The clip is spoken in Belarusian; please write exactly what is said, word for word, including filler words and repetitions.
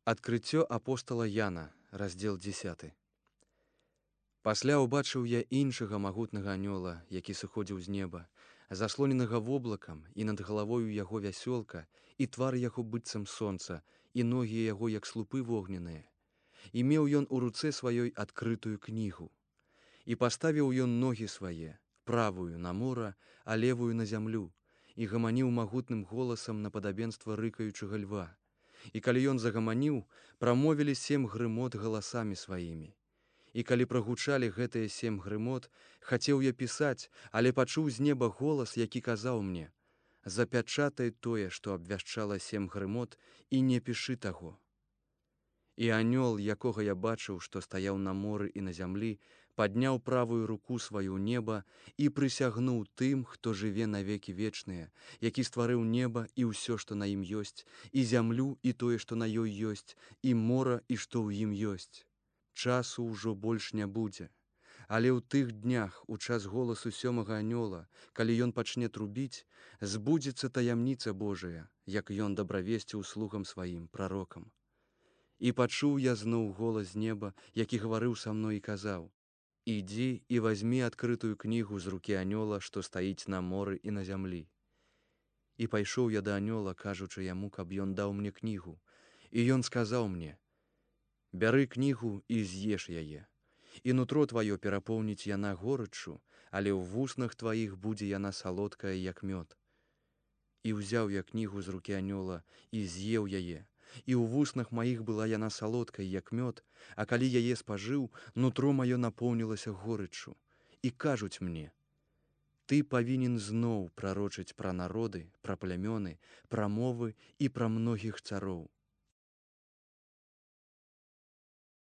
Адкрыццё апостала Яна, раздзел дзесяты. Пасля ўбачыў я іншага магутнага анёла, які сыходзіў з неба, заслоненага воблакам, і над галавою яго вясёлка, і твар яго быццам сонца, і ногі яго як слупы вогненныя. І меў ён у руцэ сваёй адкрытую кнігу. І паставіў ён ногі свае, правую на мора, а левую на зямлю, і гаманіў магутным голасам на падабенства рыкаючага льва. І калі ён загаманіў, прамовілі сем грымот галасамі сваімі. І калі прагучалі гэтыя сем грымот, хацеў я пісаць, але пачуў з неба голас, які казаў мне: «Запячатай тое, што абвяшчала сем грымот, і не пішы таго». І анёл, якога я бачыў, што стаяў на моры і на зямлі, падняў правую руку сваю ў неба і прысягнуў тым, хто жыве навекі вечныя, які стварыў неба і ўсё, што на ім ёсць, і зямлю і тое, што на ёй ёсць, і мора і што ў ім ёсць. Часу ўжо больш не будзе. Але ў тых днях, у час голасу сёмага анёла, калі ён пачне трубіць, збудзецца таямніца Божая, як ён дабравесціў слугам сваім, прарокам. І пачуў я зноў голас з неба, які гаварыў са мной і казаў: «Ідзі і вазьмі адкрытую кнігу з рукі анёла, што стаіць на моры і на зямлі». І пайшоў я да анёла, кажучы яму, каб ён даў мне кнігу. І ён сказаў мне: «Бяры кнігу і з'еш яе. І нутро тваё перапоўніць яна горыччу, але ў вуснах тваіх будзе яна салодкая, як мёд». І ўзяў я кнігу з рукі анёла і з'еў яе. І ў вуснах маіх была яна салодкай, як мёд, а калі яе спажыў, нутро маё напоўнілася горыччу. І кажуць мне: «Ты павінен зноў прарочыць пра народы, пра плямёны, пра мовы і пра многіх цароў».